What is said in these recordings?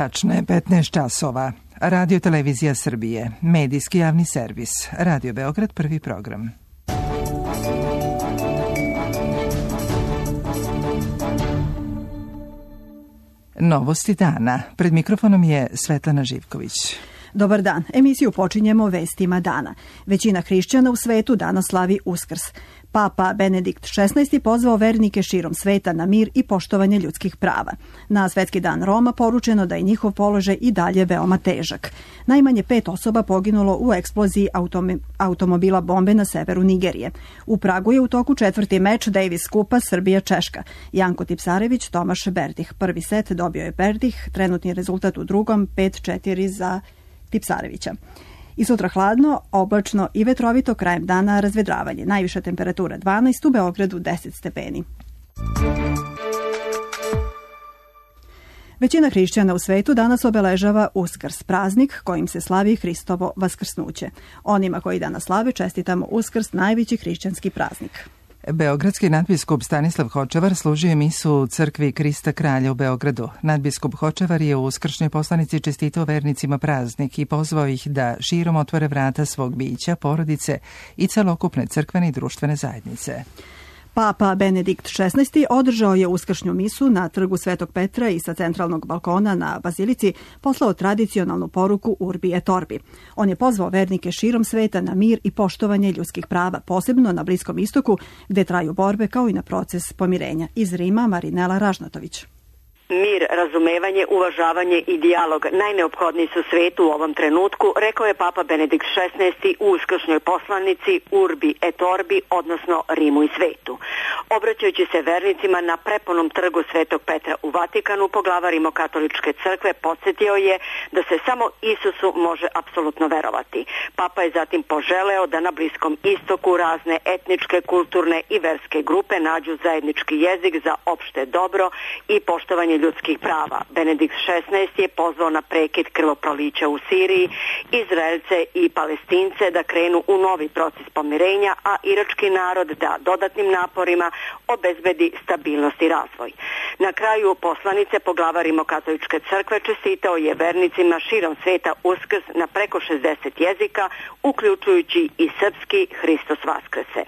Tačno je 15 časova. Radio Televizija Srbije, medijski javni servis, Radio Beograd, prvi program. Novosti dana. Pred mikrofonom je Svetlana Živković. Dobar dan. Emisiju počinjemo vestima dana. Većina hrišćana u svetu danas slavi Uskrs. Papa Benedikt XVI pozvao vernike širom sveta na mir i poštovanje ljudskih prava. Na Svetski dan Roma poručeno da je njihov položaj i dalje veoma težak. Najmanje 5 osoba poginulo u eksploziji automobila bombe na severu Nigerije. U Pragu je u toku 4. meč Davis Kupa Srbija-Češka. Janko Tipsarević, Tomaš Berdih. Prvi set dobio je Berdih, trenutni rezultat u drugom 5-4 za Tipsarevića. I sutra hladno, oblačno i vetrovito, krajem dana razvedravanje. Najviša temperatura 12, u Beogradu 10 stepeni. Većina hrišćana u svetu danas obeležava Uskrs, praznik kojim se slavi Hristovo vaskrsnuće. Onima koji danas slave čestitamo Uskrs, najveći hrišćanski praznik. Beogradski nadbiskup Stanislav Hočevar služio misu u crkvi Krista Kralja u Beogradu. Nadbiskup Hočevar je u uskršnjoj poslanici čestitao vernicima praznik i pozvao ih da širom otvore vrata svog bića, porodice i celokupne crkvene i društvene zajednice. Papa Benedikt XVI održao je uskršnju misu na trgu Svetog Petra i sa centralnog balkona na Bazilici poslao tradicionalnu poruku Urbi et Orbi. On je pozvao vernike širom sveta na mir i poštovanje ljudskih prava, posebno na Bliskom istoku, gde traju borbe kao i na proces pomirenja. Iz Rima Marinela Ražnatović. Mir, razumevanje, uvažavanje i dijalog najneophodniji su svetu u ovom trenutku, rekao je Papa Benedikt XVI u uskršnjoj poslanici Urbi et Orbi, odnosno Rimu i svetu. Obraćajući se vernicima na prepunom trgu Svetog Petra u Vatikanu, poglavar Rimokatoličke crkve podsjetio je da se samo Isusu može apsolutno verovati. Papa je zatim poželeo da na Bliskom istoku razne etničke, kulturne i verske grupe nađu zajednički jezik za opšte dobro i poštovanje ljudskih prava. Benedikt XVI je pozvao na prekid krvoprolića u Siriji, Izraelce i Palestince da krenu u novi proces pomirenja, a irački narod da dodatnim naporima obezbedi stabilnost i razvoj. Na kraju poslanice poglavar Rimokatoličke crkve čestitao je vernicima širom sveta Uskrs na preko 60 jezika, uključujući i srpski Hristos Vaskrese.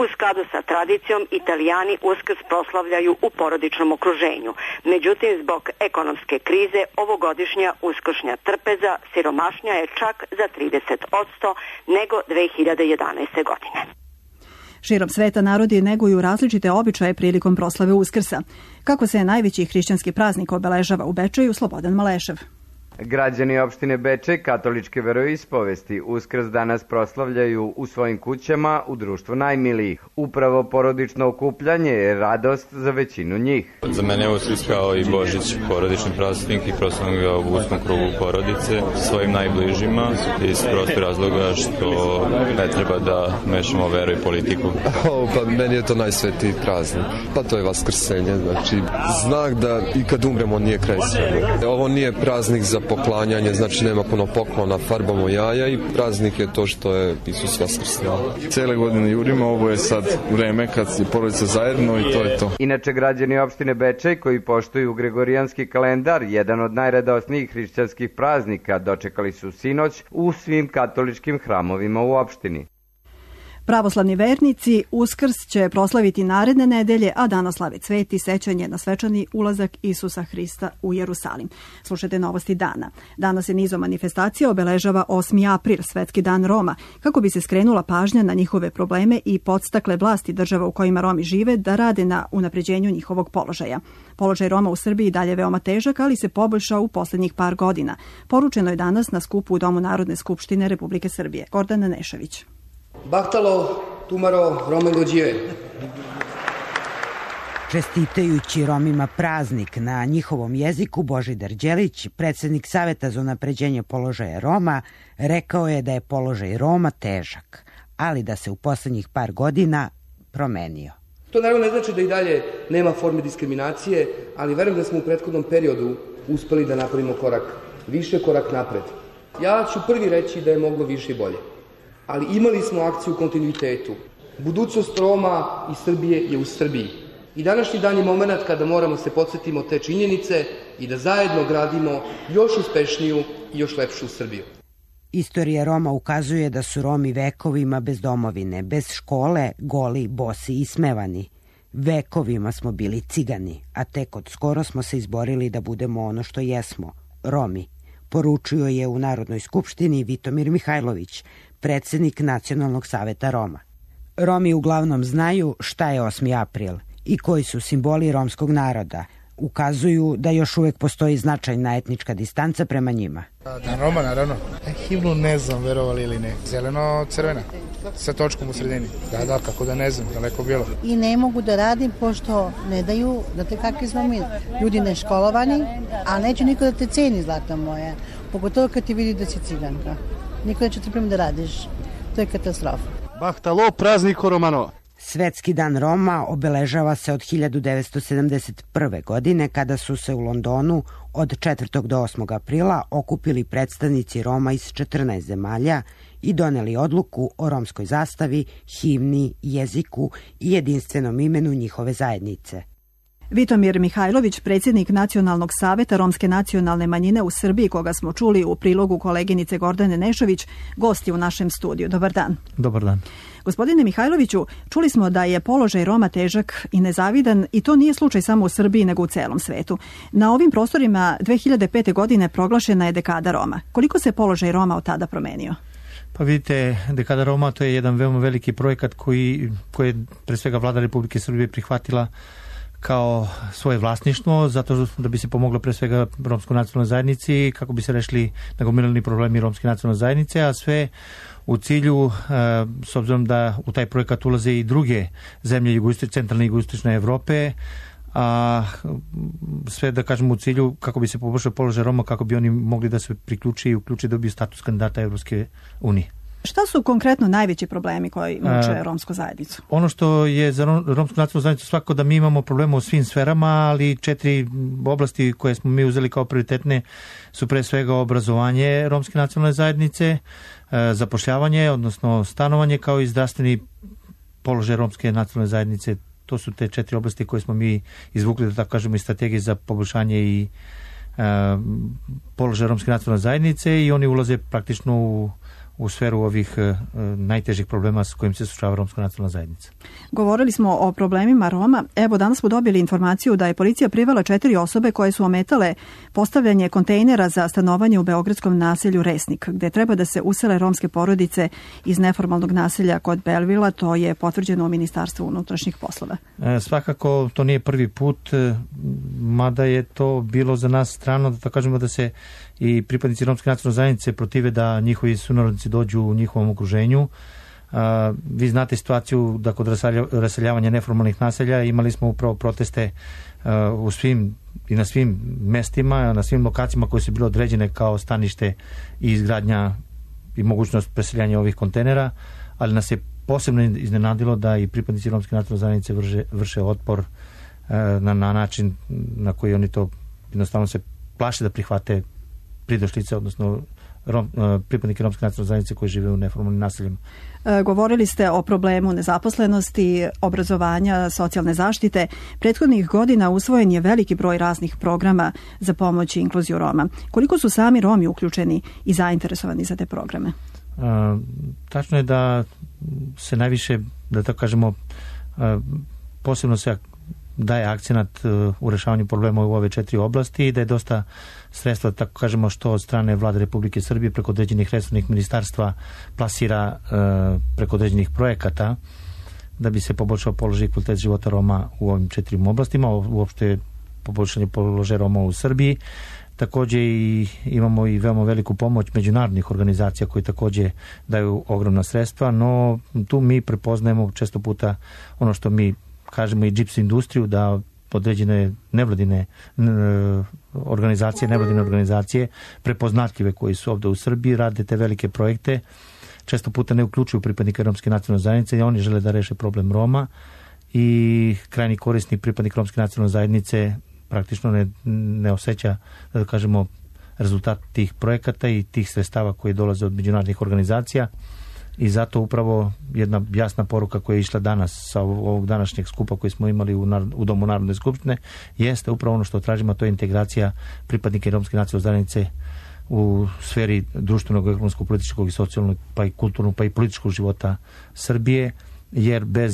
U skladu sa tradicijom, Italijani Uskrs proslavljaju u porodičnom okruženju. Međutim, zbog ekonomske krize, ovogodišnja uskršnja trpeza siromašnja je čak za 30% nego 2011. godine. Širom sveta narodi neguju različite običaje prilikom proslave Uskrsa. Kako se najveći hrišćanski praznik obeležava u Bečeju, Slobodan Malešev. Građani opštine Bečej katoličke veroispovesti Uskrs danas proslavljaju u svojim kućama u društvu najmilijih. Upravo porodično okupljanje je radost za većinu njih. Za mene je Uskrs kao i Božić porodični praznik i proslavljam ga u uskom krugu porodice svojim najbližima iz prostog razloga što ne treba da mešamo veru i politiku. Pa meni je to najsvetiji praznik. Pa to je vaskrsenje, znači znak da i kad umremo nije kraj svega. Ovo nije praznik za poklanjanje, znači nema puno poklona, farbamo jaja i praznik je to što je Isus vaskrsnuo. Cele godine jurimo, ovo je sad vreme kad je porodica zajedno i to je to. Inače, građani opštine Bečej koji poštuju gregorijanski kalendar, jedan od najradosnijih hrišćanskih praznika, dočekali su sinoć u svim katoličkim hramovima u opštini. Pravoslavni vernici Uskrs će proslaviti naredne nedelje, a danas slave cvet i sećanje na svečani ulazak Isusa Hrista u Jerusalim. Slušajte novosti dana. Danas se nizom manifestacija obeležava 8. april, Svetski dan Roma, kako bi se skrenula pažnja na njihove probleme i podstakle vlasti država u kojima Romi žive da rade na unapređenju njihovog položaja. Položaj Roma u Srbiji dalje veoma težak, ali se poboljšao u poslednjih par godina. Poručeno je danas na skupu u Domu Narodne skupštine Republike Srbije. Gordana Nešević. Bahtalo, Tumaro, Romengođive. Čestitajući Romima praznik na njihovom jeziku, Božidar Đelić, predsjednik Saveta za unapređenje položaja Roma, rekao je da je položaj Roma težak, ali da se u poslednjih par godina promenio. To naravno ne znači da i dalje nema forme diskriminacije, ali verujem da smo u prethodnom periodu uspeli da napravimo korak više, korak napred. Ja ću prvi reći da je moglo više i bolje. Ali imali smo akciju u kontinuitetu. Budućnost Roma i Srbije je u Srbiji. I današnji dan je moment kada moramo se podsjetimo te činjenice i da zajedno gradimo još uspešniju i još lepšu Srbiju. Istorija Roma ukazuje da su Romi vekovima bez domovine, bez škole, goli, bosi i ismevani. Vekovima smo bili cigani, a tek od skoro smo se izborili da budemo ono što jesmo, Romi, poručio je u Narodnoj skupštini Vitomir Mihajlović, predsjednik Nacionalnog saveta Roma. Romi uglavnom znaju šta je 8. april i koji su simboli romskog naroda. Ukazuju da još uvek postoji značajna etnička distanca prema njima. Dan Roma, naravno. Himnu ne znam, verovali ili ne. Zeleno-crvena, sa točkom u sredini. Da, kako da ne znam, daleko bilo. I ne mogu da radim, pošto ne daju, znate kakvi smo mi, ljudi neškolovani, a neće niko da te ceni, zlata moja. Pogotovo kad ti vidi da si ciganka. Niko neće trpim da radiš. To je katastrofa. Bahtalo prazniko Romano. Svetski dan Roma obeležava se od 1971. godine kada su se u Londonu od 4. do 8. aprila okupili predstavnici Roma iz 14 zemalja i doneli odluku o romskoj zastavi, himni, jeziku i jedinstvenom imenu njihove zajednice. Vitomir Mihajlović, predsjednik Nacionalnog saveta romske nacionalne manjine u Srbiji, koga smo čuli u prilogu koleginice Gordane Nešović, gost je u našem studiju. Dobar dan. Dobar dan. Gospodine Mihajloviću, čuli smo da je položaj Roma težak i nezavidan i to nije slučaj samo u Srbiji nego u celom svetu. Na ovim prostorima 2005. godine proglašena je dekada Roma. Koliko se položaj Roma od tada promenio? Pa vidite, dekada Roma to je jedan veoma veliki projekat koji je pre svega vlada Republike Srbije prihvatila kao svoje vlasništvo, zato da bi se pomoglo pre svega romskoj nacionalnoj zajednici, kako bi se rešili nagomilani problemi romske nacionalne zajednice, a sve u cilju, s obzirom da u taj projekat ulaze i druge zemlje centralne i jugoistočne Evrope, a sve da kažemo u cilju kako bi se poboljšao položaj Roma, kako bi oni mogli da se priključi i uključi da dobiju status kandidata Evropske unije. Šta su konkretno najveći problemi koji muče romsku zajednicu? Ono što je za romsku nacionalnu zajednicu svako da mi imamo problema u svim sferama, ali 4 oblasti koje smo mi uzeli kao prioritetne su pre svega obrazovanje romske nacionalne zajednice, zapošljavanje, odnosno stanovanje, kao i zdravstveni položaj romske nacionalne zajednice. To su te 4 oblasti koje smo mi izvukli, da tako kažemo, iz strategije za poboljšanje i položaj romske nacionalne zajednice i oni ulaze praktično u sferu ovih najtežih problema s kojim se suočava romska nacionalna zajednica. Govorili smo o problemima Roma. Evo, danas smo dobili informaciju da je policija privela 4 osobe koje su ometale postavljanje kontejnera za stanovanje u beogradskom naselju Resnik, gde treba da se usele romske porodice iz neformalnog naselja kod Belvila. To je potvrđeno u Ministarstvu unutrašnjih poslova. Svakako to nije prvi put, mada je to bilo za nas strano, da kažemo da se i pripadnici romske nacionalne zajednice protive da njihovi sunarodnici dođu u njihovom okruženju. Vi znate situaciju da kod raseljavanja neformalnih naselja imali smo upravo proteste u svim i na svim mestima, na svim lokacijama koje su bile određene kao stanište i izgradnja i mogućnost preseljanja ovih kontejnera, ali nas je posebno iznenadilo da i pripadnici romske nacionalne zajednice vrše otpor na način na koji oni to jednostavno se plaše da prihvate pridošlice, odnosno pripadnike romske nacionalne zajednice koji žive u neformalnim naseljima. Govorili ste o problemu nezaposlenosti, obrazovanja, socijalne zaštite. Prethodnih godina usvojen je veliki broj raznih programa za pomoć i inkluziju Roma. Koliko su sami Romi uključeni i zainteresovani za te programe? Tačno je da se najviše, da tako kažemo, posebno se daje akcenat u rešavanju problema u ove 4 oblasti i da je dosta sredstva, tako kažemo, što od strane vlade Republike Srbije preko određenih resornih ministarstva plasira preko određenih projekata da bi se poboljšao položaj i kvalitet života Roma u ovim 4 oblastima, uopšte poboljšanje položaja Roma u Srbiji. Takođe imamo i veoma veliku pomoć međunarodnih organizacija koji takođe daju ogromna sredstva, no tu mi prepoznajemo često puta ono što mi kažemo i džips industriju, da određene nevladine organizacije prepoznatljive koji su ovde u Srbiji rade te velike projekte, često puta ne uključuju pripadnike romske nacionalne zajednice i oni žele da reše problem Roma i krajnji korisnik pripadnik romske nacionalne zajednice praktično ne osjeća, da kažemo, rezultat tih projekata i tih sredstava koji dolaze od međunarodnih organizacija i zato upravo jedna jasna poruka koja je išla danas sa ovog današnjeg skupa koji smo imali u Domu Narodne skupštine jeste upravo ono što tražimo, to je integracija pripadnika romske nacionalne zajednice u sferi društvenog, ekonomskog, političkog i socijalnog, pa i kulturnog, pa i političkog života Srbije, jer bez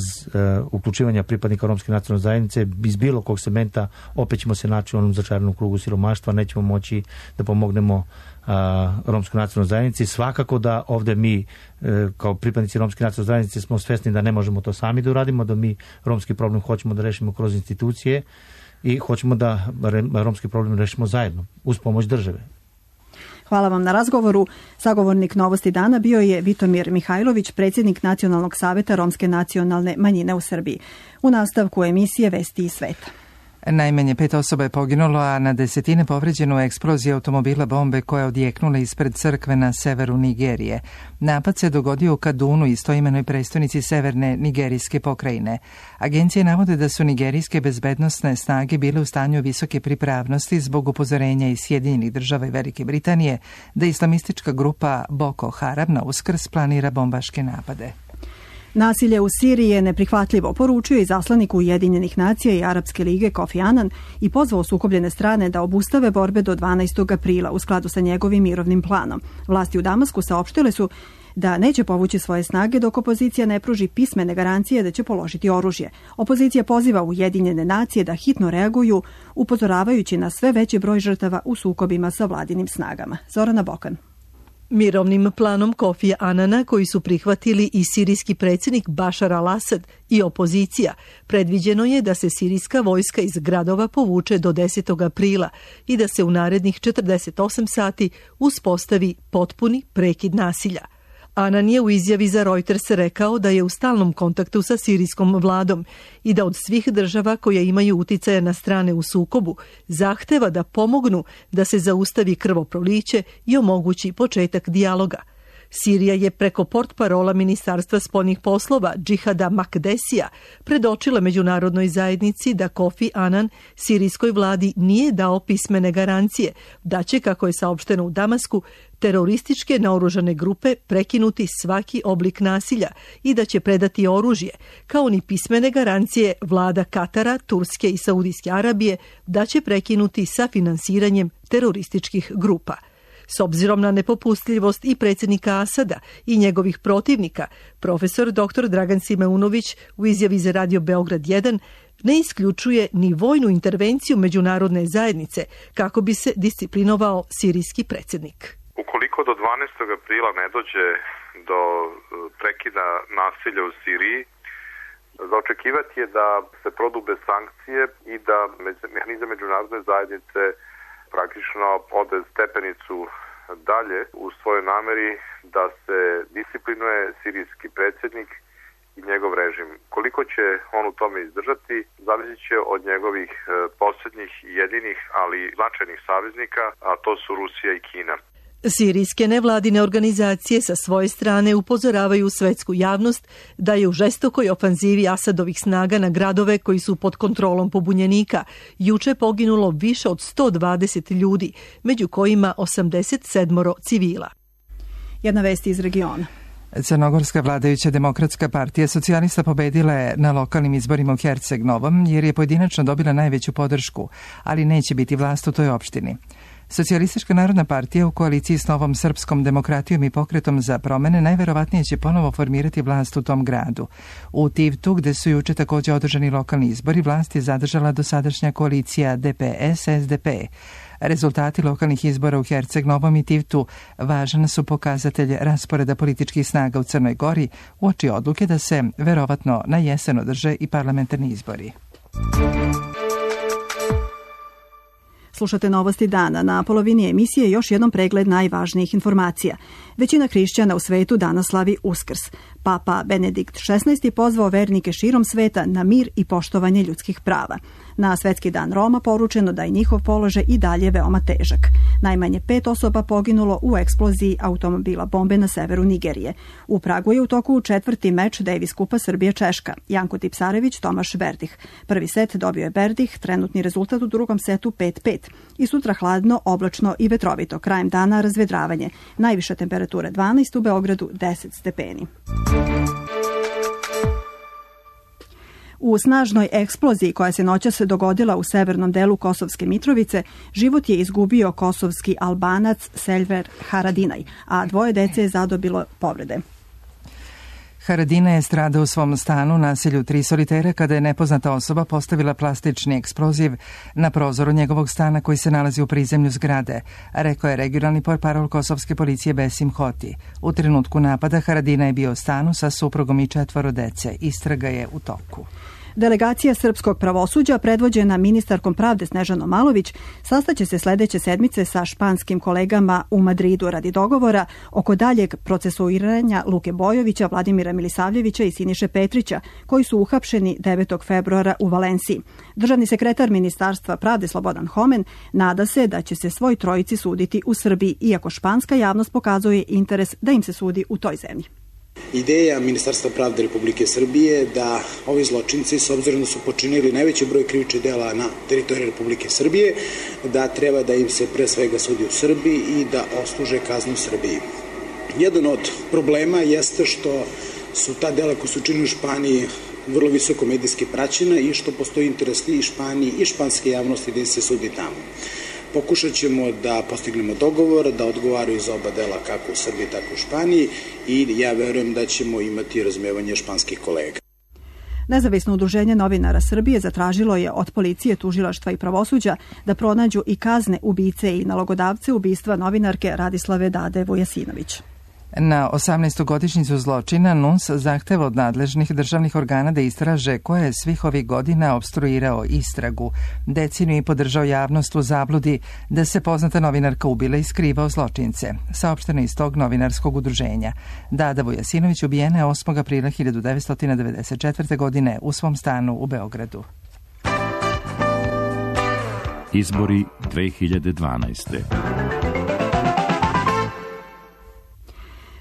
uključivanja pripadnika romske nacionalne zajednice iz bilo kog segmenta opet ćemo se naći u onom začaranom krugu siromaštva, nećemo moći da pomognemo romskoj nacionalnoj zajednici. Svakako da ovde mi kao pripadnici romske nacionalne zajednice smo svesni da ne možemo to sami da uradimo, da mi romski problem hoćemo da rešimo kroz institucije i hoćemo da romski problem rešimo zajedno, uz pomoć države. Hvala vam na razgovoru. Sagovornik Novosti dana bio je Vitomir Mihajlović, predsjednik Nacionalnog saveta romske nacionalne manjine u Srbiji. U nastavku emisije Vesti iz sveta. Najmanje 5 osoba je poginulo, a na desetine povređeno u eksploziji automobila bombe koja je odjeknula ispred crkve na severu Nigerije. Napad se dogodio u Kadunu, istoimenoj prestonici severne nigerijske pokrajine. Agencije navode da su nigerijske bezbednosne snage bile u stanju visoke pripravnosti zbog upozorenja iz Sjedinjenih Država i Velike Britanije da islamistička grupa Boko Haram na Uskrs planira bombaške napade. Nasilje u Siriji je neprihvatljivo, poručio i zaslanik Ujedinjenih nacija i Arapske lige Kofi Annan i pozvao sukobljene strane da obustave borbe do 12. aprila u skladu sa njegovim mirovnim planom. Vlasti u Damasku saopštile su da neće povući svoje snage dok opozicija ne pruži pismene garancije da će položiti oružje. Opozicija poziva Ujedinjene nacije da hitno reaguju, upozoravajući na sve veći broj žrtava u sukobima sa vladinim snagama. Zorana Bokan. Mirovnim planom Kofija Anana, koji su prihvatili i sirijski predsjednik Bašar al-Asad i opozicija, predviđeno je da se sirijska vojska iz gradova povuče do 10. aprila i da se u narednih 48 sati uspostavi potpuni prekid nasilja. Anan je u izjavi za Reuters rekao da je u stalnom kontaktu sa sirijskom vladom i da od svih država koje imaju uticaja na strane u sukobu zahteva da pomognu da se zaustavi krvoproliće i omogući početak dijaloga. Sirija je preko portparola Ministarstva spoljnih poslova Džihada Makdesija predočila međunarodnoj zajednici da Kofi Anan sirijskoj vladi nije dao pismene garancije da će, kako je saopšteno u Damasku, terorističke naoružane grupe prekinuti svaki oblik nasilja i da će predati oružje, kao ni pismene garancije vlada Katara, Turske i Saudijske Arabije da će prekinuti sa finansiranjem terorističkih grupa. S obzirom na nepopustljivost i predsjednika Asada i njegovih protivnika, profesor dr. Dragan Simeunović u izjavi za Radio Beograd 1 ne isključuje ni vojnu intervenciju međunarodne zajednice kako bi se disciplinovao sirijski predsjednik. Ukoliko do 12. aprila ne dođe do prekida nasilja u Siriji, za očekivati je da se prodube sankcije i da mehanizam međunarodne zajednice praktično ode stepenicu dalje u svojoj nameri da se disciplinuje sirijski predsjednik i njegov režim. Koliko će on u tome izdržati, zavisit će od njegovih posljednjih jedinih, ali značajnih saveznika, a to su Rusija i Kina. Sirijske nevladine organizacije sa svoje strane upozoravaju svetsku javnost da je u žestokoj ofanzivi Asadovih snaga na gradove koji su pod kontrolom pobunjenika juče poginulo više od 120 ljudi, među kojima 87 civila. Jedna vest iz regiona. Crnogorska vladajuća demokratska partija socijalista pobedila je na lokalnim izborima u Herceg Novom jer je pojedinačno dobila najveću podršku, ali neće biti vlast u toj opštini. Socijalistička narodna partija u koaliciji s Novom srpskom demokratijom i pokretom za promene najverovatnije će ponovo formirati vlast u tom gradu. U Tivtu, gde su juče također održani lokalni izbori, vlast je zadržala dosadašnja koalicija DPS-SDP. Rezultati lokalnih izbora u Herceg Novom i Tivtu važan su pokazatelj rasporeda političkih snaga u Crnoj Gori uoči odluke da se verovatno na jesen održe i parlamentarni izbori. Slušate Novosti dana. Na polovini emisije još jednom pregled najvažnijih informacija. Većina hrišćana u svetu danas slavi Uskrs. Papa Benedikt XVI pozvao vernike širom sveta na mir i poštovanje ljudskih prava. Na Svetski dan Roma poručeno da je njihov položaj i dalje veoma težak. Najmanje 5 osoba poginulo u eksploziji automobila bombe na severu Nigerije. U Pragu je u toku 4. meč Davis kupa Srbija-Češka. Janko Tipsarević, Tomaš Berdih. Prvi set dobio je Berdih, trenutni rezultat u drugom setu 5-5. I sutra hladno, oblačno i vetrovito. Krajem dana razvedravanje. Najviša temperatura 12, u Beogradu 10 stepeni. U snažnoj eksploziji koja se noćas dogodila u severnom delu Kosovske Mitrovice, život je izgubio kosovski Albanac Selver Haradinaj, a 2 dece je zadobilo povrede. Haradinaj je stradao u svom stanu na naselju Tri solitera kada je nepoznata osoba postavila plastični eksploziv na prozoru njegovog stana koji se nalazi u prizemlju zgrade, rekao je regionalni portparol kosovske policije Besim Hoti. U trenutku napada Haradinaj je bio u stanu sa suprugom i 4 dece. Istraga je u toku. Delegacija srpskog pravosuđa, predvođena ministarkom pravde Snežanom Malović, sastaće se sledeće sedmice sa španskim kolegama u Madridu radi dogovora oko daljeg procesuiranja Luke Bojovića, Vladimira Milisavljevića i Siniše Petrića, koji su uhapšeni 9. februara u Valenciji. Državni sekretar Ministarstva pravde Slobodan Homen nada se da će se svoj trojici suditi u Srbiji, iako španska javnost pokazuje interes da im se sudi u toj zemlji. Ideja Ministarstva pravde Republike Srbije da ovi zločinci, s obzirom da su počinili najveći broj krivičnih dela na teritoriji Republike Srbije, da treba da im se pre svega sudi u Srbiji i da odsluže kaznu u Srbiji. Jedan od problema jeste što su ta dela koja su činili u Španiji vrlo visoko medijski praćena i što postoji interes i Španiji i španske javnosti da im se sudi tamo. Pokušat ćemo da postignemo dogovor, da odgovaraju za oba dela kako u Srbiji, tako u Španiji i ja verujem da ćemo imati razumevanje španskih kolega. Nezavisno udruženje novinara Srbije zatražilo je od policije, tužilaštva i pravosuđa da pronađu i kazne ubice i nalogodavce ubistva novinarke Radislave Dade Vujasinović. Na 18. godišnjicu zločina NUNS zahteva od nadležnih državnih organa da istraže ko je svih ovih godina opstruirao istragu. Deceniju i podržao javnost u zabludi da se poznata novinarka ubila i skrivao zločince. Saopšteno iz tog novinarskog udruženja. Dada Vujasinović ubijena je 8. aprila 1994. godine u svom stanu u Beogradu. Izbori 2012.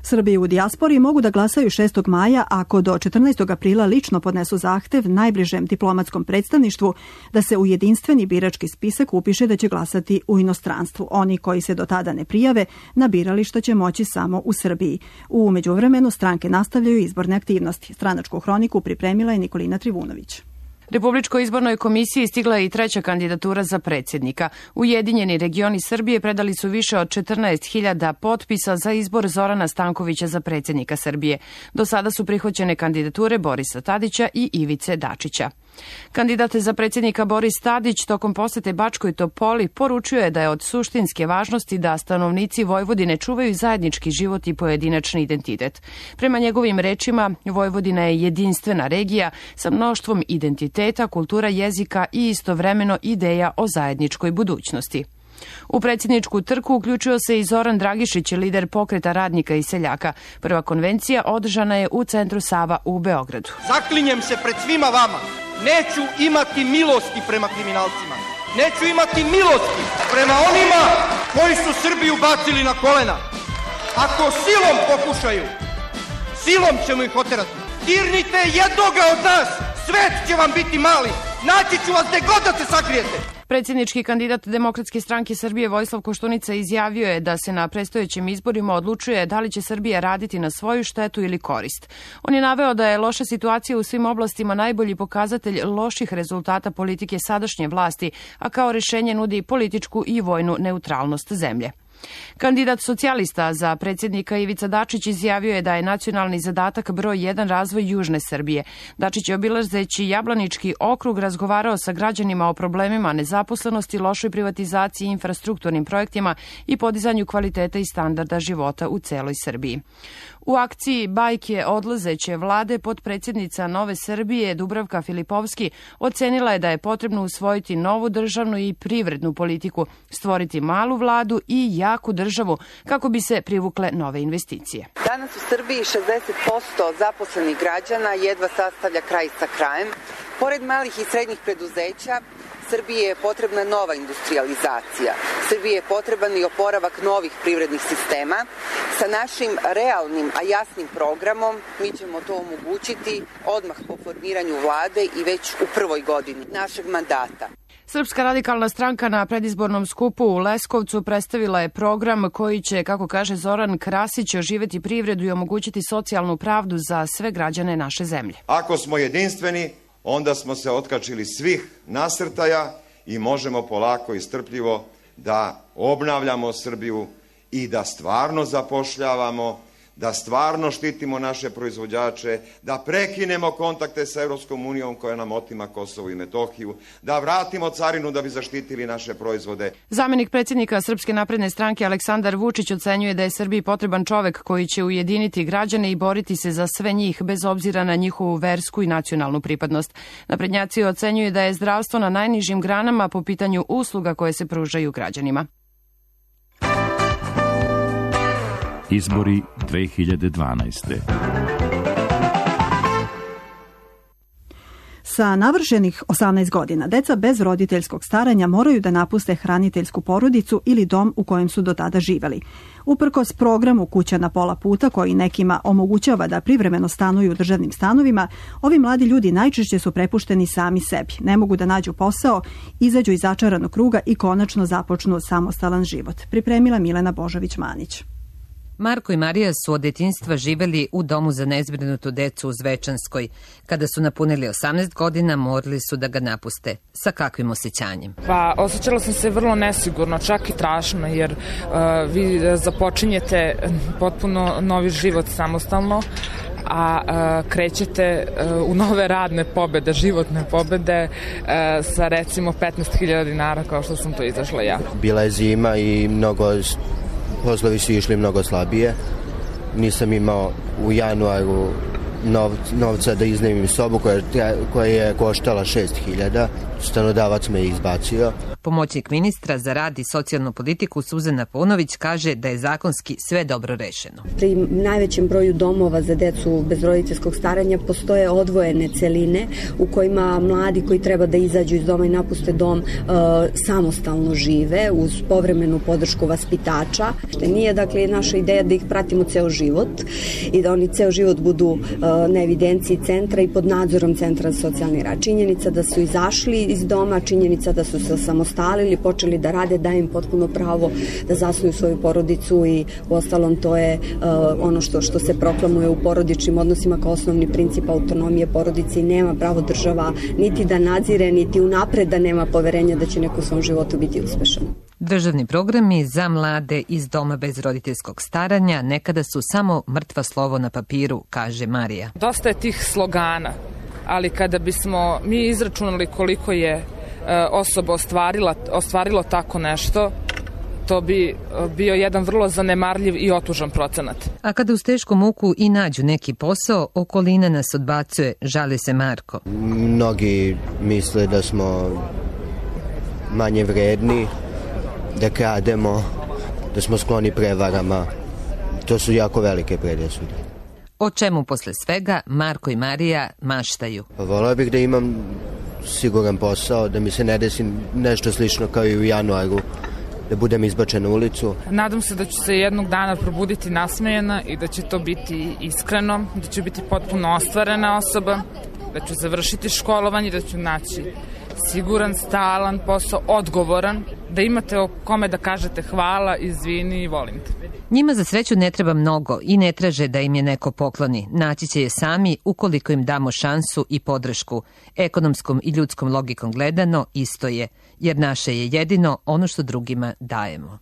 Srbi u dijaspori mogu da glasaju 6. maja ako do 14. aprila lično podnesu zahtev najbližem diplomatskom predstavništvu da se u jedinstveni birački spisak upiše da će glasati u inostranstvu. Oni koji se do tada ne prijave na birališta će moći samo u Srbiji. U međuvremenu stranke nastavljaju izborne aktivnosti. Stranačku hroniku pripremila je Nikolina Trivunović. Republičkoj izbornoj komisiji stigla je i 3. kandidatura za predsjednika. Ujedinjeni regioni Srbije predali su više od 14.000 potpisa za izbor Zorana Stankovića za predsjednika Srbije. Do sada su prihvaćene kandidature Borisa Tadića i Ivice Dačića. Kandidat za predsjednika Boris Tadić tokom posete Bačkoj Topoli poručuje da je od suštinske važnosti da stanovnici Vojvodine čuvaju zajednički život i pojedinačni identitet. Prema njegovim rečima, Vojvodina je jedinstvena regija sa mnoštvom identiteta, kultura, jezika i istovremeno ideja o zajedničkoj budućnosti. U predsjedničku trku uključio se i Zoran Dragišić, lider Pokreta radnika i seljaka. Prva konvencija održana je u centru Sava u Beogradu. Zaklinjem se pred svima vama, neću imati milosti prema kriminalcima. Neću imati milosti prema onima koji su Srbiju bacili na kolena. Ako silom pokušaju, silom ćemo ih oterati. Dirnite jednoga od nas, svet će vam biti mali. Naći ću vas gde god da se sakrijete. Predsjednički kandidat Demokratske stranke Srbije Vojislav Koštunica izjavio je da se na predstojećim izborima odlučuje da li će Srbija raditi na svoju štetu ili korist. On je naveo da je loša situacija u svim oblastima najbolji pokazatelj loših rezultata politike sadašnje vlasti, a kao rješenje nudi političku i vojnu neutralnost zemlje. Kandidat socijalista za predsjednika Ivica Dačić izjavio je da je nacionalni zadatak broj 1 razvoj južne Srbije. Dačić je obilazeći Jablanički okrug razgovarao sa građanima o problemima nezaposlenosti, lošoj privatizaciji, infrastrukturnim projektima i podizanju kvaliteta i standarda života u celoj Srbiji. U akciji Bajke odlazeće vlade potpredsjednica Nove Srbije Dubravka Filipovski ocenila je da je potrebno usvojiti novu državnu i privrednu politiku, stvoriti malu vladu i jaku državu kako bi se privukle nove investicije. Danas u Srbiji 60% zaposlenih građana jedva sastavlja kraj sa krajem. Pored malih i srednjih preduzeća, Srbiji je potrebna nova industrializacija. Srbiji je potreban i oporavak novih privrednih sistema. Sa našim realnim, a jasnim programom mi ćemo to omogućiti odmah po formiranju vlade i već u prvoj godini našeg mandata. Srpska radikalna stranka na predizbornom skupu u Leskovcu predstavila je program koji će, kako kaže Zoran Krasić, oživeti privredu i omogućiti socijalnu pravdu za sve građane naše zemlje. Ako smo jedinstveni, onda smo se otkačili svih nasrtaja i možemo polako i strpljivo da obnavljamo Srbiju i da stvarno zapošljavamo, da stvarno štitimo naše proizvođače, da prekinemo kontakte sa Evropskom unijom koja nam otima Kosovo i Metohiju, da vratimo carinu da bi zaštitili naše proizvode. Zamenik predsjednika Srpske napredne stranke Aleksandar Vučić ocenjuje da je Srbiji potreban čovek koji će ujediniti građane i boriti se za sve njih bez obzira na njihovu versku i nacionalnu pripadnost. Naprednjaci ocenjuju da je zdravstvo na najnižim granama po pitanju usluga koje se pružaju građanima. Izbori 2012. Sa navršenih 18 godina, deca bez roditeljskog staranja moraju da napuste hraniteljsku porodicu ili dom u kojem su do tada živeli. Uprkos programu Kuća na pola puta, koji nekima omogućava da privremeno stanuju u državnim stanovima, ovi mladi ljudi najčešće su prepušteni sami sebi. Ne mogu da nađu posao, izađu iz začaranog kruga i konačno započnu samostalan život. Pripremila Milena Božović-Manić. Marko i Marija su od detinjstva živeli u domu za nezbrinutu decu u Zvečanskoj. Kada su napunili 18 godina, morali su da ga napuste. Sa kakvim osjećanjem? Pa, osjećala sam se vrlo nesigurno, čak i strašno, jer vi započinjete potpuno novi život samostalno, a krećete u nove radne pobede, životne pobede sa recimo 15.000 dinara kao što sam to izašla ja. Bila je zima i poslovi su išli mnogo slabije. Nisam imao u januaru novca da iznajmim sobu koja je koštala 6.000. Stanodavac me je izbacio. Pomoćnik ministra za rad i socijalnu politiku Suzana Paunović kaže da je zakonski sve dobro rešeno. Pri najvećem broju domova za decu bez roditeljskog staranja postoje odvojene celine u kojima mladi koji treba da izađu iz doma i napuste dom samostalno žive uz povremenu podršku vaspitača. Nije dakle naša ideja da ih pratimo ceo život i da oni ceo život budu na evidenciji centra i pod nadzorom centra za socijalni rad. Činjenica da su izašli iz doma, činjenica da su se samostalili, počeli da rade, daje im potpuno pravo da zasnuju svoju porodicu i uostalom to je ono što se proklamuje u porodičnim odnosima kao osnovni princip autonomije porodice i nema pravo država niti da nadzire, niti unapred da nema poverenja da će neko u svom životu biti uspešan. Državni programi za mlade iz doma bez roditeljskog staranja nekada su samo mrtvo slovo na papiru, kaže Marija. Dosta je tih slogana, ali kada bismo mi izračunali koliko je osoba ostvarilo tako nešto, to bi bio jedan vrlo zanemarljiv i otužan procenat. A kada uz tešku muku i nađu neki posao, okolina nas odbacuje, žali se Marko. Mnogi misle da smo manje vredni, da krademo, da smo skloni prevarama. To su jako velike predrasude. O čemu posle svega Marko i Marija maštaju? Voleo bih da imam siguran posao, da mi se ne desi nešto slično kao i u januaru, da budem izbačen u ulicu. Nadam se da ću se jednog dana probuditi nasmejana i da će to biti iskreno, da ću biti potpuno ostvarena osoba, da ću završiti školovanje, da ću naći siguran, stalan posao, odgovoran, da imate o kome da kažete hvala, izvini i volim te. Njima za sreću ne treba mnogo i ne traže da im je neko pokloni. Naći će je sami ukoliko im damo šansu i podršku. Ekonomskom i ljudskom logikom gledano isto je, jer naše je jedino ono što drugima dajemo.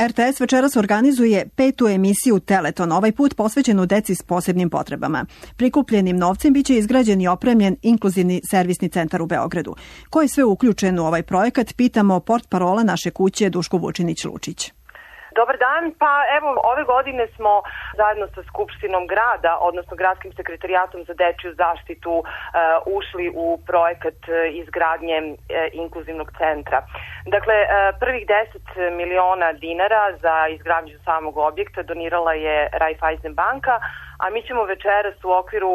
RTS večeras organizuje 5. emisiju Teleton, ovaj put posvećenu deci s posebnim potrebama. Prikupljenim novcem biće izgrađen i opremljen inkluzivni servisni centar u Beogradu. Ko je sve uključen u ovaj projekat, pitamo portparola naše kuće Duško Vučinić-Lučić. Dobar dan, pa evo ove godine smo zajedno sa Skupštinom grada, odnosno Gradskim sekretarijatom za dečiju zaštitu ušli u projekat izgradnje inkluzivnog centra. Dakle, prvih 10 miliona dinara za izgradnju samog objekta donirala je Raiffeisen banka, a mi ćemo večeras u okviru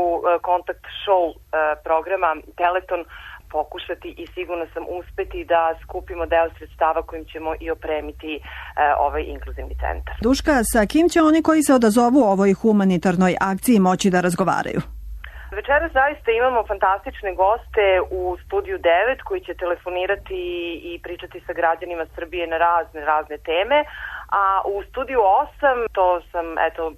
kontakt show programa Teleton pokušati i sigurno sam uspeti da skupimo deo sredstava kojim ćemo i opremiti ovaj inkluzivni centar. Duška, sa kim će oni koji se odazovu ovoj humanitarnoj akciji moći da razgovaraju? Večeras zaista imamo fantastične goste u studiju 9 koji će telefonirati i pričati sa građanima Srbije na razne teme, a u studiju 8, to sam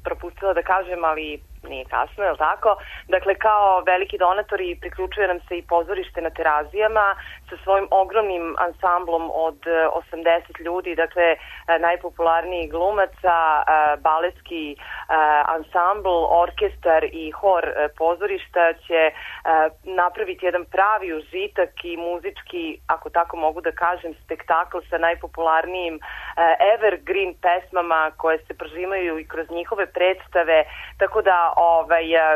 propustila da kažem, ali nije kasno, je li tako? Dakle, kao veliki donatori priključuje nam se i pozorište na Terazijama sa svojim ogromnim ansamblom od 80 ljudi, dakle, najpopularnijih glumaca, baletski ansambl, orkestar i hor pozorišta će napraviti jedan pravi užitak i muzički, ako tako mogu da kažem, spektakl sa najpopularnijim evergreen pesmama koje se prožimaju i kroz njihove predstave, tako da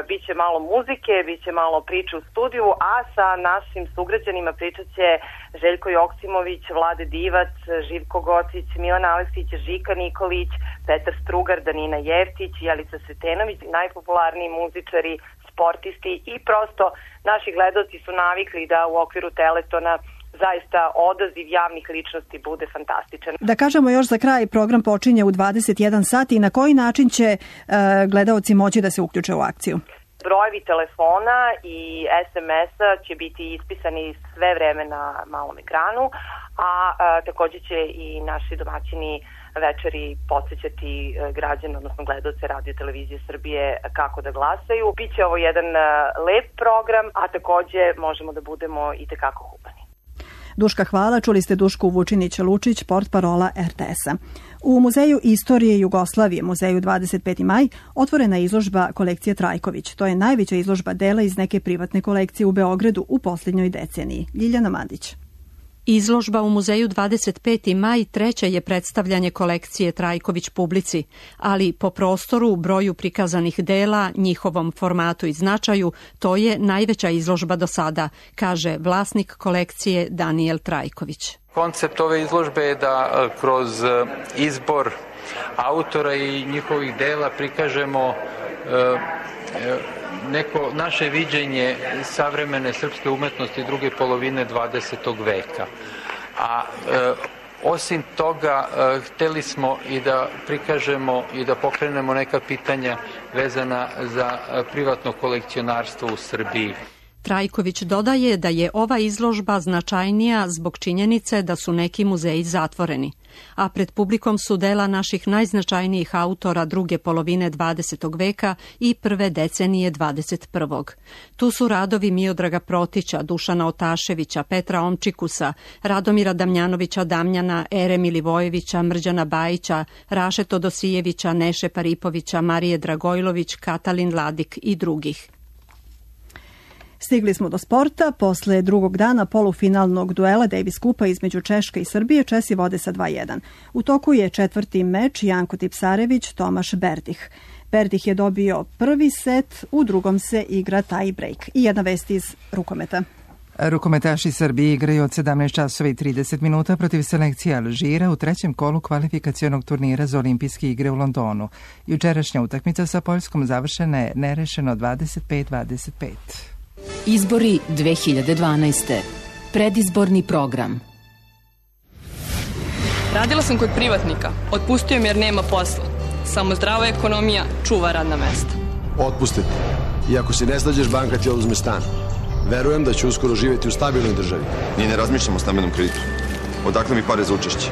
bit će malo muzike, bit će malo priče u studiju, a sa našim sugrađanima pričat će Željko Joksimović, Vlade Divac, Živko Gocić, Milan Aleksić, Žika Nikolić, Petar Strugar, Danina Jevtić, Jelica Sretenović, najpopularniji muzičari, sportisti i prosto naši gledaoci su navikli da u okviru Teletona zaista odaziv javnih ličnosti bude fantastičan. Da kažemo još za kraj, program počinje u 21 sat i na koji način će gledaoci moći da se uključe u akciju? Brojevi telefona i SMS-a će biti ispisani sve vreme na malom ekranu, a također će i naši domaćini večeri podsjećati građane, odnosno gledaoce Radio Televizije Srbije kako da glasaju. Biće ovo jedan lep program, a također možemo da budemo i tekako humani. Duška, hvala. Čuli ste Dušku Vučinić-Lučić, portparola RTS-a. U Muzeju istorije Jugoslavije, Muzeju 25. maj, otvorena je izložba kolekcije Trajković. To je najveća izložba dela iz neke privatne kolekcije u Beogradu u posljednjoj deceniji. Ljiljana Mandić. Izložba u Muzeju 25. maj treće je predstavljanje kolekcije Trajković publici, ali po prostoru, broju prikazanih dela, njihovom formatu i značaju, to je najveća izložba do sada, kaže vlasnik kolekcije Danijel Trajković. Koncept ove izložbe je da kroz izbor autora i njihovih dela prikažemo neko naše viđenje savremene srpske umetnosti druge polovine 20. veka. A osim toga, hteli smo i da prikažemo i da pokrenemo neka pitanja vezana za privatno kolekcionarstvo u Srbiji. Trajković dodaje da je ova izložba značajnija zbog činjenice da su neki muzeji zatvoreni, a pred publikom su dela naših najznačajnijih autora druge polovine 20. veka i prve decenije 21. Tu su radovi Miodraga Protića, Dušana Otaševića, Petra Omčikusa, Radomira Damjanovića Damjana, Ere Milivojevića, Mrđana Bajića, Raše Todosijevića, Neše Paripovića, Marije Dragojlović, Katalin Ladik i drugih. Stigli smo do sporta. Posle drugog dana polufinalnog duela Davis Kupa između Češke i Srbije, Česi vode sa 2:1. U toku je četvrti meč Janko Tipsarević, Tomaš Berdih. Berdih je dobio prvi set, u drugom se igra tie break. I jedna vest iz rukometa. Rukometaši Srbije igraju od 17 časova i 30 minuta protiv selekcije Alžira u trećem kolu kvalifikacionog turnira za olimpijske igre u Londonu. Jučerašnja utakmica sa Poljskom završena je nerešeno 25-25. Izbori 2012. Predizborni program. Radila sam kod privatnika. Otpustio mi jer nema posla. Samo zdrava ekonomija čuva radna mesta. Otpustiti. I ako si ne snađeš, banka ti oduzme stan. Verujem da ću uskoro živjeti u stabilnoj državi. Mi ne razmišljamo o stambenom kreditu. Odakle mi pare za učešće?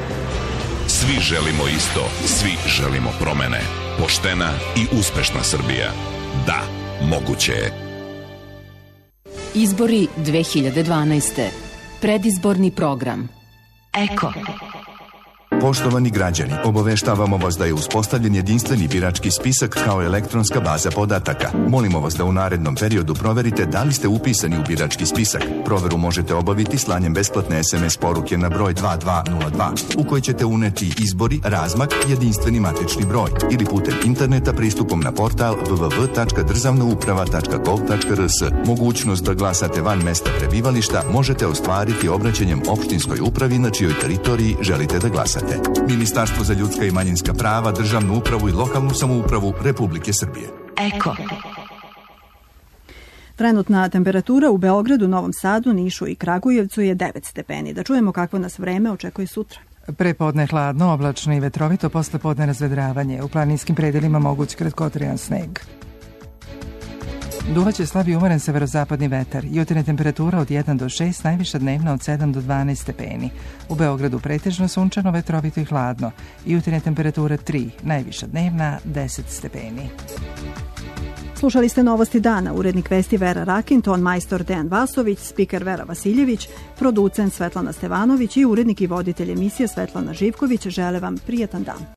Svi želimo isto. Svi želimo promene. Poštena i uspešna Srbija. Da, moguće je. Izbori 2012. Predizborni program. Eko. Poštovani građani, obaveštavamo vas da je uspostavljen jedinstveni birački spisak kao elektronska baza podataka. Molimo vas da u narednom periodu proverite da li ste upisani u birački spisak. Proveru možete obaviti slanjem besplatne SMS poruke na broj 2202 u kojoj ćete uneti izbori, razmak, jedinstveni matični broj ili putem interneta pristupom na portal www.državnouprava.gov.rs. Mogućnost da glasate van mesta prebivališta možete ostvariti obraćanjem opštinskoj upravi na čijoj teritoriji želite da glasate. Ministarstvo za ljudska i manjinska prava, državnu upravu i lokalnu samoupravu Republike Srbije. Eko. Trenutna temperatura u Beogradu, Novom Sadu, Nišu i Kragujevcu je 9 stepeni. Da čujemo kakvo nas vreme očekuje sutra. Prepodne hladno, oblačno i vetrovito, posle podne razvedravanje. U planinskim predelima moguć kratkotrajan sneg. Duvaće slab i umeren severozapadni vetar. Jutarnja temperatura od 1 do 6, najviša dnevna od 7 do 12 stepeni. U Beogradu pretežno sunčano, vetrovito i hladno. Jutarnja temperatura 3, najviša dnevna 10 stepeni. Slušali ste Novosti dana, urednik vesti Vera Rakin, ton majstor Dejan Vasović, spiker Vera Vasiljević, producent Svetlana Stevanović i urednik i voditelj emisije Svetlana Živković. Žele vam prijetan dan.